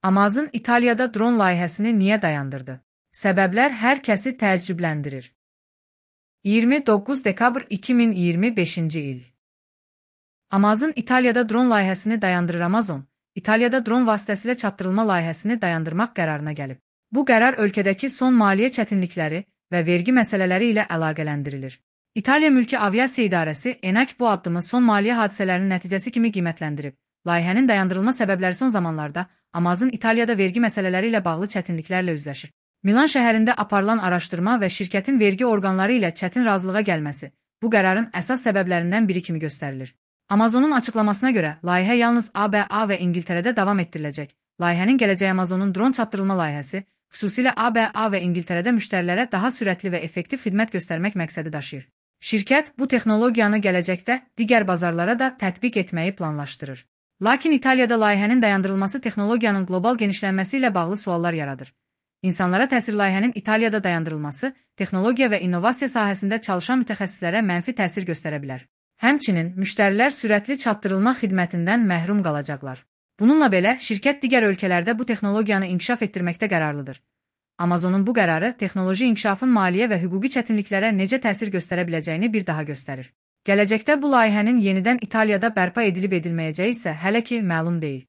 Amazon İtaliyada dron layihəsini niyə dayandırdı? Səbəblər hər kəsi təəccübləndirir. 29 dekabr 2025-ci il. Amazon İtaliyada dron layihəsini dayandırır. Amazon, İtaliyada dron vasitəsilə çatdırılma layihəsini dayandırmaq qərarına gəlib. Bu qərar ölkədəki son maliyyə çətinlikləri və vergi məsələləri ilə əlaqələndirilir. İtaliya Mülki Aviasiya İdarəsi ENAC bu addımı son maliyyə hadisələrinin nəticəsi kimi qiymətləndirib. Layihənin dayandırılma səbəbləri son zamanlarda Amazon İtaliyada vergi məsələləri ilə bağlı çətinliklərlə üzləşir. Milan şəhərində aparılan araşdırma və şirkətin vergi orqanları ilə çətin razılığa gəlməsi bu qərarın əsas səbəblərindən biri kimi göstərilir. Amazonun açıqlamasına görə, layihə yalnız ABA və İngiltərədə davam etdiriləcək. Layihənin gələcəyi Amazonun dron çatdırılma layihəsi, xüsusilə ABA və İngiltərədə müştərilərə daha sürətli və effektiv xidmət göstərmək məqsədi daşıyır. Şirkət bu texnologiyanı gələcəkdə digər bazarlara da tətbiq etməyi planlaşdırır. Lakin İtaliyada layihənin dayandırılması texnologiyanın qlobal genişlənməsi ilə bağlı suallar yaradır. İnsanlara təsir layihənin İtaliyada dayandırılması, texnologiya və innovasiya sahəsində çalışan mütəxəssislərə mənfi təsir göstərə bilər. Həmçinin, müştərilər sürətli çatdırılma xidmətindən məhrum qalacaqlar. Bununla belə, şirkət digər ölkələrdə bu texnologiyanı inkişaf etdirməkdə qərarlıdır. Amazonun bu qərarı texnoloji inkişafın maliyyə və hüquqi çətinliklərə necə təsir göstərə biləcəyini bir daha göstərir. Gələcəkdə bu layihənin yenidən İtaliyada bərpa edilib edilməyəcəyi isə hələ ki məlum deyil.